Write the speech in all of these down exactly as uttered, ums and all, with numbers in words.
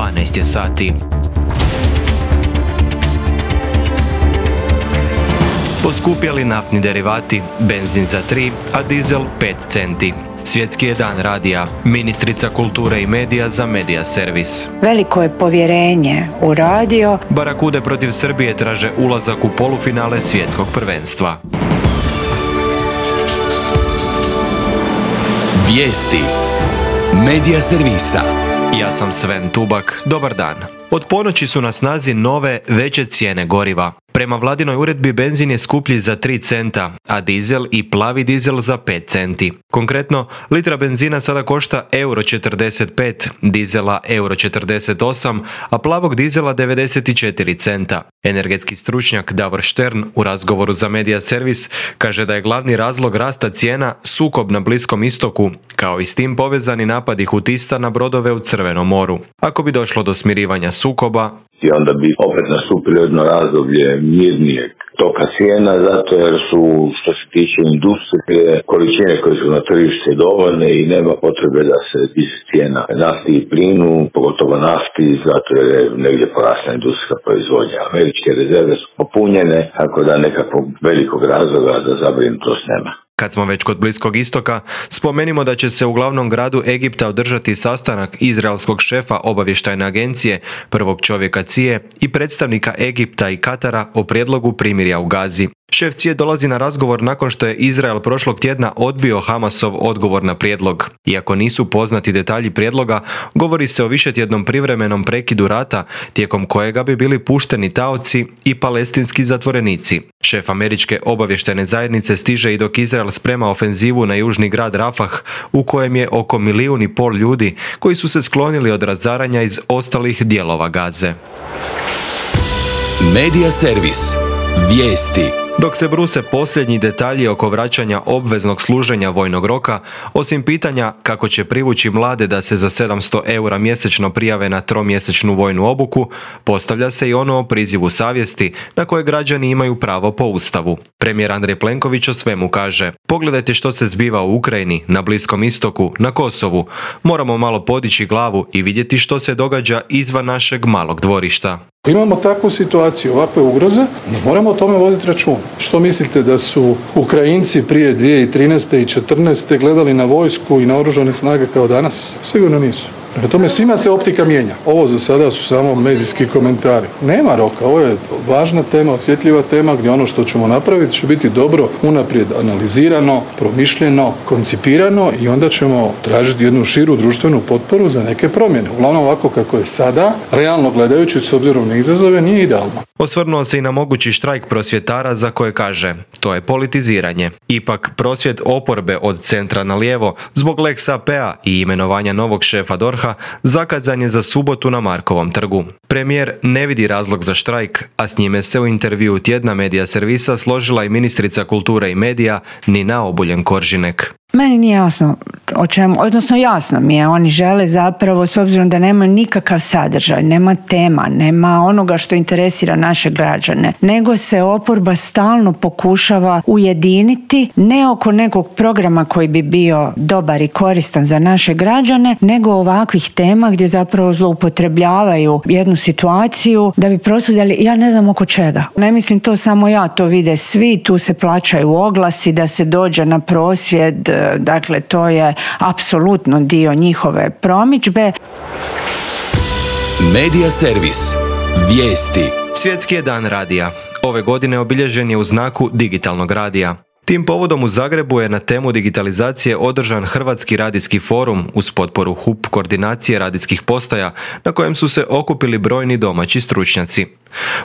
dvanaest je sati. Poskupjeli naftni derivati, benzin za tri, a dizel pet centi. Svjetski je dan radija. Ministrica kulture i medija za Medija servis. Veliko je povjerenje u radio. Barakude protiv Srbije traže ulazak u polufinale svjetskog prvenstva. Vijesti Medija servisa. Ja sam Sven Tubak. Dobar dan. Od ponoći su na snazi nove, veće cijene goriva. Prema vladinoj uredbi benzin je skuplji za tri centa, a dizel i plavi dizel za pet centi. Konkretno, litra benzina sada košta euro četrdeset pet, dizela euro četrdeset osam, a plavog dizela devedeset četiri centa. Energetski stručnjak Davor Štern u razgovoru za Medija servis kaže da je glavni razlog rasta cijena sukob na Bliskom istoku, kao i s tim povezani napadi Hutista na brodove u Crvenom moru. Ako bi došlo do smirivanja sukoba, i onda bi opet nastupilo jedno razdoblje mirnijeg toka cijena, zato jer su, što se tiče industrije, količine koje su na tržište dovoljne i nema potrebe da se diže cijena nafti i plinu, pogotovo nafti, zato jer je negdje porasla industrijska proizvodnja. Američke rezerve su popunjene, tako da nekakvog velikog razloga za zabrinutost nema. Kad smo već kod Bliskog istoka, spomenimo da će se u glavnom gradu Egipta održati sastanak izraelskog šefa obavještajne agencije, prvog čovjeka C I E i predstavnika Egipta i Katara o prijedlogu primirja u Gazi. Šef C I E dolazi na razgovor nakon što je Izrael prošlog tjedna odbio Hamasov odgovor na prijedlog. Iako nisu poznati detalji prijedloga, govori se o višetjednom privremenom prekidu rata, tijekom kojega bi bili pušteni taoci i palestinski zatvorenici. Šef američke obavještajne zajednice stiže i dok Izrael sprema ofenzivu na južni grad Rafah, u kojem je oko milijun i pol ljudi koji su se sklonili od razaranja iz ostalih dijelova Gaze. Medija servis. Vijesti. Dok se bruse posljednji detalji oko vraćanja obveznog služenja vojnog roka, osim pitanja kako će privući mlade da se za sedamsto eura mjesečno prijave na tromjesečnu vojnu obuku, postavlja se i ono o prizivu savjesti na koje građani imaju pravo po Ustavu. Premijer Andrej Plenković o svemu kaže: pogledajte što se zbiva u Ukrajini, na Bliskom istoku, na Kosovu. Moramo malo podići glavu i vidjeti što se događa izvan našeg malog dvorišta. Imamo takvu situaciju, ovakve ugroze, no moramo o tome voditi račun. Što mislite da su Ukrajinci prije dvije tisuće trinaeste i četrnaeste gledali na vojsku i na oružane snage kao danas? Sigurno nisu. Prema tome svima se optika mijenja. Ovo za sada su samo medijski komentari. Nema roka, ovo je važna tema, osjetljiva tema gdje ono što ćemo napraviti će biti dobro unaprijed analizirano, promišljeno, koncipirano i onda ćemo tražiti jednu širu društvenu potporu za neke promjene. Uglavnom ovako kako je sada, realno gledajući s obzirom na izazove, nije idealno. Osvrnuo se i na mogući štrajk prosvjetara za koje kaže: to je politiziranje. Ipak prosvjed oporbe od centra na lijevo zbog Lex A P A i imenovanja novog šefa D O R H-a zakazan je za subotu na Markovom trgu. Premijer ne vidi razlog za štrajk, a s njime se u intervjuu tjedna Medija servisa složila i ministrica kulture i medija Nina Obuljen Koržinek. Meni nije jasno o čemu, odnosno jasno mi je, oni žele zapravo, s obzirom da nema nikakav sadržaj, nema tema, nema onoga što interesira naše građane, nego se oporba stalno pokušava ujediniti, ne oko nekog programa koji bi bio dobar i koristan za naše građane, nego ovakvih tema gdje zapravo zloupotrebljavaju jednu situaciju da bi prosvjedali, ja ne znam oko čega. Ne mislim to samo ja, to vide svi, tu se plaćaju oglasi da se dođe na prosvjed. Dakle, to je apsolutno dio njihove promidžbe. Medija servis. Vijesti. Svjetski je dan radija. Ove godine obilježen je u znaku digitalnog radija. Tim povodom u Zagrebu je na temu digitalizacije održan Hrvatski radijski forum uz potporu H U P koordinacije radijskih postaja, na kojem su se okupili brojni domaći stručnjaci.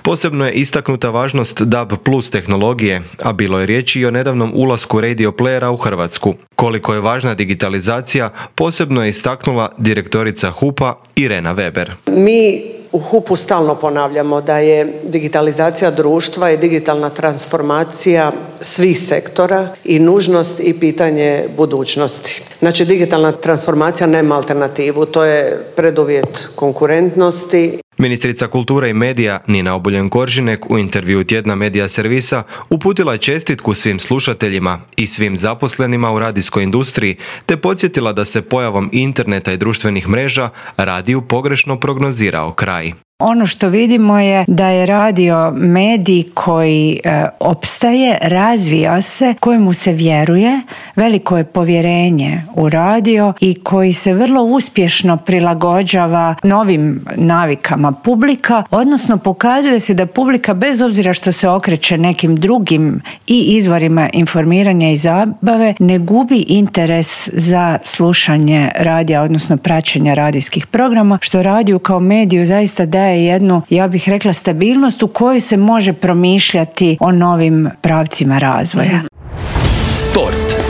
Posebno je istaknuta važnost D A B plus tehnologije, a bilo je riječi i o nedavnom ulasku radio playera u Hrvatsku. Koliko je važna digitalizacija, posebno je istaknula direktorica H U P-a Irena Weber. Mi u H U P-u stalno ponavljamo da je digitalizacija društva i digitalna transformacija svih sektora i nužnost i pitanje budućnosti. Znači, digitalna transformacija nema alternativu, to je preduvjet konkurentnosti. Ministrica kulture i medija Nina Obuljen Koržinek u intervjuu tjedna Medija servisa uputila je čestitku svim slušateljima i svim zaposlenima u radijskoj industriji, te podsjetila da se pojavom interneta i društvenih mreža radiju pogrešno prognozirao kraj. Ono što vidimo je da je radio medij koji e, opstaje, razvija se, kojemu se vjeruje, veliko je povjerenje u radio i koji se vrlo uspješno prilagođava novim navikama publika, odnosno pokazuje se da publika, bez obzira što se okreće nekim drugim i izvorima informiranja i zabave, ne gubi interes za slušanje radija, odnosno praćenja radijskih programa, što radiju kao mediju zaista daje jednu, ja bih rekla, stabilnost u kojoj se može promišljati o novim pravcima razvoja. Sport.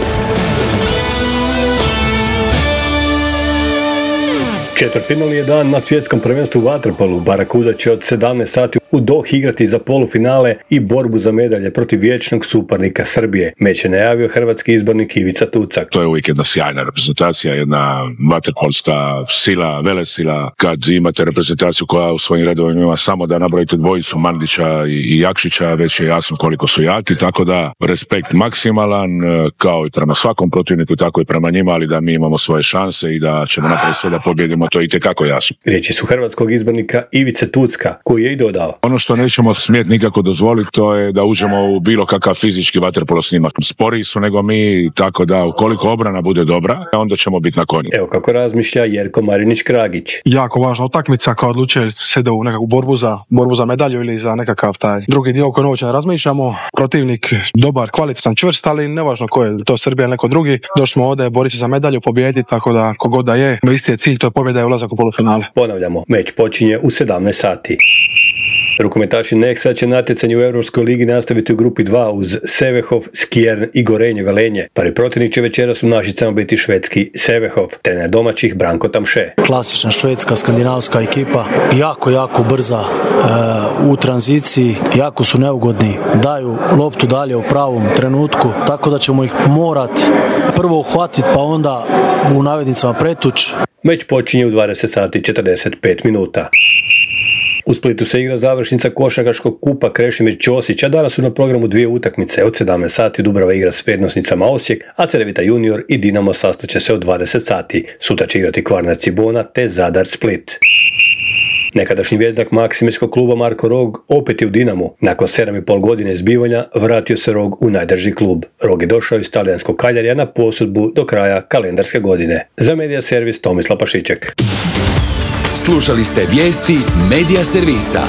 Četvrtfinalni je dan na svjetskom prvenstvu u vaterpolu. Barakuda će od sedamnaest sati u Dohi igrati za polufinale i borbu za medalje protiv vječnog suparnika Srbije. Meč je najavio hrvatski izbornik Ivica Tucak. To je uvijek jedna sjajna reprezentacija, jedna vaterpolska sila, velesila. Kad imate reprezentaciju koja u svojim redovima ima samo da nabrojite dvojicu Mandića i Jakšića, već je jasno koliko su jaki, tako da respekt maksimalan, kao i prema svakom protivniku, tako i prema njima, ali da mi imamo svoje šanse i da ćemo napraviti sve da pobjedimo, to je itekako jasno. Riječi su hrvatskog izbornika Ivice Tucka, koji je i dodao: ono što nećemo smjeti nikako dozvoliti, to je da uđemo u bilo kakav fizički vaterpolo snimak. Sporiji su nego mi, tako da ukoliko obrana bude dobra, onda ćemo biti na konju. Evo kako razmišlja Jerko Marinić-Kragić. Jako važna utakmica koja odlučuje se da u nekakvu borbu za, borbu za medalju ili za nekakav taj drugi dio koji uopće ne razmišljamo. Protivnik dobar, kvalitetan, čvrst, ali nevažno ko je, to Srbija ili neko drugi. Došli smo ovdje boriti za medalju, pobijediti, tako da kogod da je, isti je cilj, to je pobjeda i ulazak u polufinale. Ponavljamo, meč počinje u sedamnaest sati. Rukometaši Nexa će natjecanje u Europskoj ligi nastaviti u grupi dva uz Sevehov, Skjern i Gorenje Velenje. Prvi protivnik će večeras u Našicama biti švedski Sevehov, trener domaćih Branko Tamše. Klasična švedska, skandinavska ekipa, jako, jako brza e, u tranziciji, jako su neugodni, daju loptu dalje u pravom trenutku, tako da ćemo ih morat prvo uhvatiti pa onda u navednicama pretuć. Meč počinje u dvadeset sati i četrdeset pet minuta. U Splitu se igra završnica košarkaškog kupa Krešimir Ćosić, a danas su na programu dvije utakmice. Od sedamnaest sati Dubrava igra s Prednosnicama Osijek, a Cedevita Junior i Dinamo sastaće se od dvadeset sati. Sutra će igrati Kvarner Cibona te Zadar Split. Nekadašnji vjezdak Maksimirskog kluba Marko Rog opet je u Dinamu. Nakon sedam i pol godine zbivanja vratio se Rog u najdrži klub. Rog je došao iz talijanskog Kaljarija na posudbu do kraja kalendarske godine. Za Medija servis Tomislav Pašiček. Slušali ste vijesti Medija servisa.